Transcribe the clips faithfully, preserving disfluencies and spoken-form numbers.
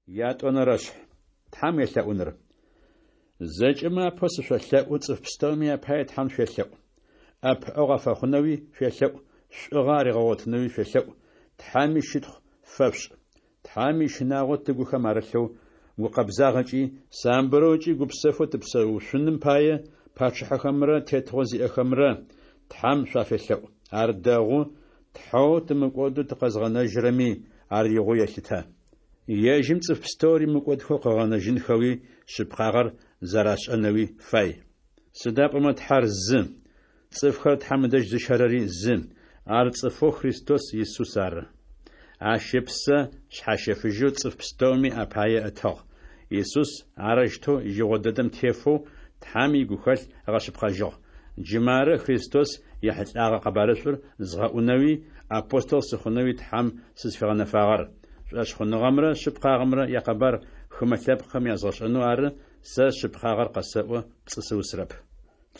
Ятӏонэрэшъхь. Тхьэм уелъэӏуныр. Зэкӏэмэ апэу сышъолъэӏу, цӏыф пстэуми апае Тхьэм шъуелъэӏу. Ӏэпыӏэгъу афэхъунэуи шъуелъэӏу, шӏугъэ аригъэгъотынэуи шъуелъэӏу, Тхьэми щытхъу фэшъушӏ. Тхьэм ищынагъо тыгухэм арылъэу, гукъэбзагъэкӏи, самбырэу ыкӏи гупсэфэу тыпсэушъуным пае, пачъыхьэхэмрэ тетыгъо зиӏэхэмрэ Тхьэм шъуафелъэӏу. Ар дэгъу, Тхьэу тымыкӏодэу тыкъэзгъэнэжьырэми ар игъоу елъытэ. Ежьым цӏыф пстэури мыкӏодхэу къыгъэнэжьынхэуи шъыпкъагъэр зэрашӏэнэуи фай. Сыда пӏомэ Тхьэр зы, цӏыфхэр Тхьэм ыдэжь зыщэрэри зы, ар цӏыфэу Христос Исус ары. Ащ ыпсэ шъхьащэфыжьэу цӏыф пстэуми апае ытыгъ. Исус арэущтэу игъо дэдэм тефэу Тхьэм игухэлъ ыгъэшъыпкъэжьыгъ. Джы мары Христос ехьылӏагъэ къэбарышӏур згъэӏунэуи апостол сыхъунэуи Тхьэм сызфигъэнэфагъэр. Шӏошъхъуныгъэмрэ шъыпкъагъэмрэ якъэбар хымэ лъэпкъхэм язгъэшӏэнэу ары, сэ шъыпкъагъэр къэсэӏо, пцӏы сыусырэп.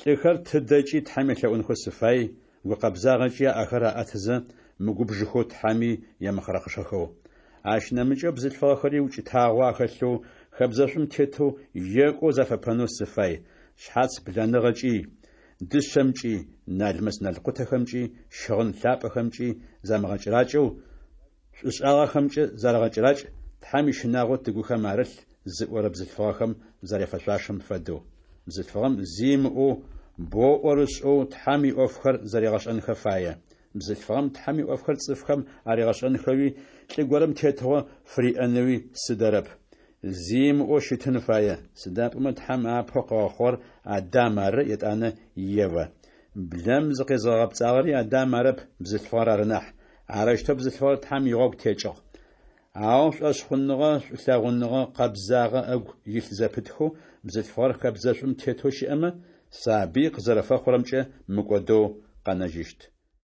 Лӏыхэр тыдэкӏи Тхьэм елъэӏунхэу сыфай, гукъэбзагъэкӏи аӏэхэр аӏэтызэ, мыгубжыхэу Тхьэми емыхъырэхъышэхэу. Ащ нэмыкӏэу бзылъфыгъэхэри укӏытагъо ахэлъэу, хэбзэшӏум тетэу, екӏоу зафэпэнэу сыфай, шъхьац блэныгъэкӏи, дышъэмкӏи, налмэс-налкъутэхэмкӏи, щыгъын лъапӏэхэмкӏи замыгъэкӏэракӏэу, шӏушӏагъэхэмкӏэ зарэгъэкӏэракӏ, Тхьэм ищынагъо тыгухэм арылъ зыӏорэ бзылъфыгъэхэм зэряфэшъуашэм фэдэу. Бзылъфыгъэм зи ымыӏоу, боу ӏорышӏэу Тхьэм иӏофхэр зэригъэшӏэнхэ фае. Бзылъфыгъэм Тхьэм иӏофхэр цӏыфхэм аригъэшӏэнхэуи лӏы горэм тетыгъо фыриӏэнэуи сыдэрэп. Зи ымыӏоу щытын фае, сыда пӏомэ Тхьэм апэу къыгъэхъугъэр Адам ары, етӏанэ Евэ. Блэм зыкъезгъэгъэпцӏагъэри Адам арэп, бзылъфыгъэр ары нахь. Арэущтэу бзылъфыгъэр Тхьэм игъогу текӏыгъ. Ау шӏошъхъуныгъэ, шӏулъэгъуныгъэ, къэбзагъэ ыгу илъ зэпытхэу бзылъфыгъэр хэбзэшӏум тетэу щыӏэмэ, сабый къызэрэфэхъурэмкӏэ мыкӏодэу къэнэжьыщт.